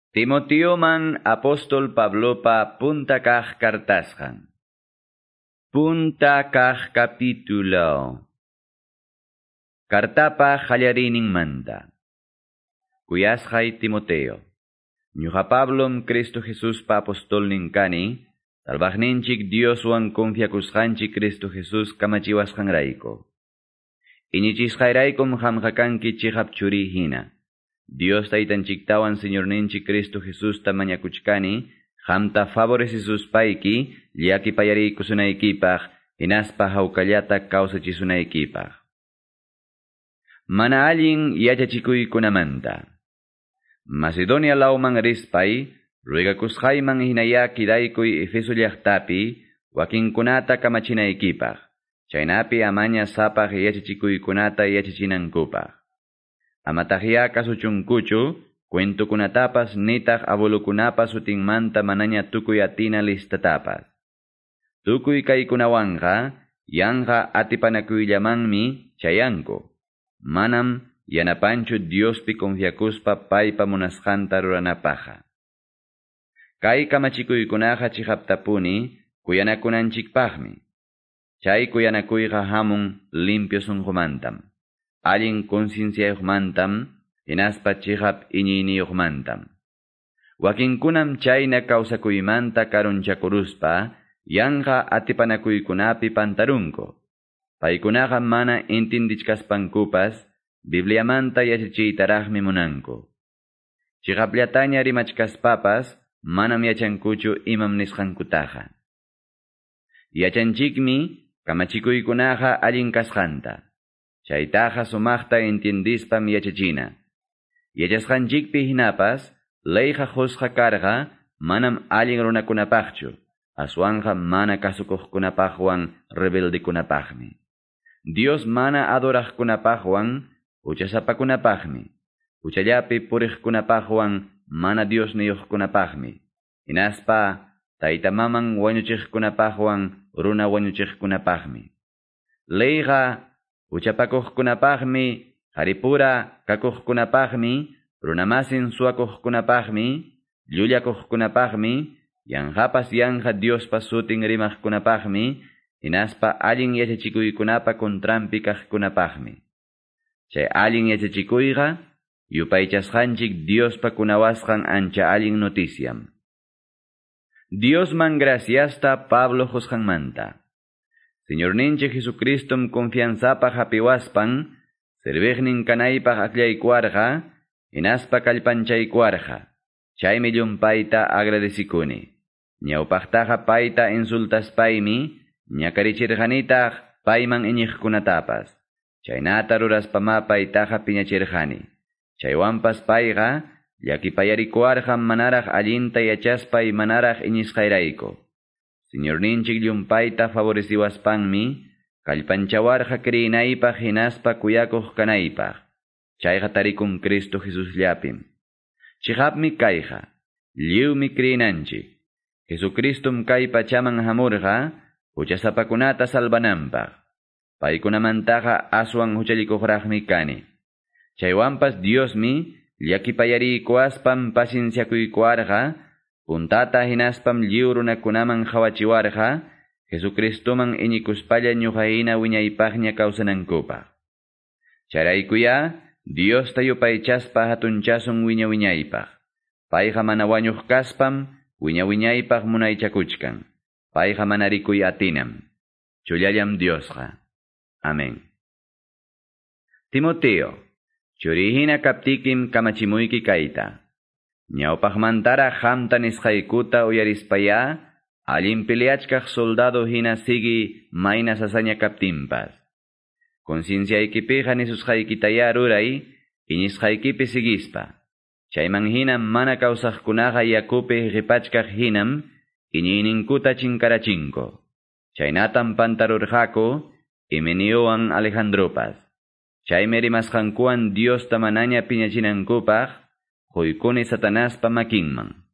Timoteoman apóstol Pablopa punta kaq kartasqan. Punta kaq capítulo. Kartapa qallariyninmanta. Kuyasqay Timoteo. Ñuqa Pablom Cristo Jesuspa apostolnin kani, salvaqninchik Dioswan confiakusqanchik Cristo Jesus kamachiwasqanrayku. Iñichisqayraykum qamqa kanki chiqap churi hina. Dios taytanchiktawan Señorninchik Cristo Jesusta mañakuchkani, qamta favorecisuspayki, llakipayariykusunaykipaq, hinaspa hawkallata kawsachisunaykipaq. Mana allin yachachikuykunamanta. Macedonia lawman rispay, ruegakusqayman hinaya kidaykuy Efeso llaqtapi, wakinkunata kamachinaykipaq, chaynapi amaña sapaq yachachikuykunata yachachinankupaq. Amataqya kasuchunkuchu, cuentokunatapas nitaq abuelokunapas sutinmanta manaña tukuy atina listatapas. Tukuy kaykunawanqa, yanqa atipanakuyllamanmi chayanku. Manam yanapanchu Diospi confiakuspa paypa munasqanta ruranapaqqa. Kay kamachikuykunaqa chiqaptapuni kuyanakunanchikpaqmi. Chay kuyanakuyqa hamun limpio sunqumantam, allin concienciayuqmantam, hinaspa chiqap iñiyniyuqmantam. Wakinkunam chayna kawsakuymanta karunchakuruspa, yanqa atipanakuykunapi pantarunku. Paykunaqa mana intindichkaspankupas, Bibliamanta yachachiytaraqmi munanku. Chiqapllataña rimachkaspapas, manam yachankuchu imam nisqankutaqa. Yachanchikmi kamachikuykunaqa allin kasqanta. Chaytaqa sumaqta intindispam yachachina. Yachasqanchikpi hinapas, leyqa qusqa karqa manam allin runakunapaqchu, aswanqa mana kasukuqkunapaqwan rebeldekunapaqmi. Dios mana adoraqkunapaqwan huchasapakunapaqmi, huchallapi puriqkunapaqwan mana Diosniyuqkunapaqmi, hinaspa tayta maman wañuchiqkunapaqwan runa wañuchiqkunapaqmi. Leyqa huchapakuqkunapaqmi, qaripura kakuqkunapaqmi, runamasin suwakuqkunapaqmi, llullakuqkunapaqmi, yanqapas yanqa Diospa sutin rimaqkunapaqmi, hinaspa allin yachachikuykunapa contranpi kaqkunapaqmi. Chay allin yachachikuyqa, yupaychasqanchik Diospa kunawasqan ancha allin noticiam. Diosman graciasta Pablo qusqanmanta. Señorninchik Jesucristom confianzapaq hapiwaspan, serviqnin kanaypaq akllaykuwarqa, hinaspa kallpanchaykuwarqa. Chaymi llumpayta agradecikuni. Ñawpaqtaqa payta insultaspaymi, ñakarichirqanitaq payman iñiqkunatapas. Chaynata ruraspamá paytaqa piñachirqani. Chaywanpas payqa llakipayarikuwarqam manaraq allinta yachaspay manaraq iñisqayrayku. Señorninchik llumpayta favoreciwaspanmi, kallpanchawarqa kriyinaypaq hinaspa kuyakuq kanaypaq. Chayqa tarikun Cristo Jesusllapim. Chiqapmi kayqa, lliwmi kriyinanchik. Jesucristum kay pachaman hamurqa, huchasapakunata salvananpaq. Paykunamantaqa aswan huchallikuqraqmi kani. Chaywanpas Diosmi llakipayariykuwaspam pacienciakuykuwarqa, puntata hinaspam lliw runakunaman qawachiwarqa, Jesucristoman iñikuspalla ñuqa hina wiñaypaqña kawsanankupaq. Chayraykuyá Diosta yupaychaspa hatunchasun wiña wiñaypaq. Payqa mana wañuq kaspam wiña wiñaypaq munaychakuchkan. Payqa mana rikuy atinam. Chullallam Diosqa. Amén. Timoteo, churihina kaptikim kamachimuyki kayta. Ñawpaqmantara qamta nisqaykuta uyarispayá, allin peleachkaq soldado hina sigi mayna sasaña kaptinpas. Concienciaykipiqa nisusqaykitayá ruray, iñisqaykipi sigispa. Chayman hina mana kawsaqkunaqa yakupi qipachkaq hinam, iñiyninkuta chinkarachinko. Chaynatam pantarurqaku, Himeniowan Alejandropas. Chaymi rimasqankuwan Diosta manaña piñachinankupaq, quykuni Satanaspa makinman.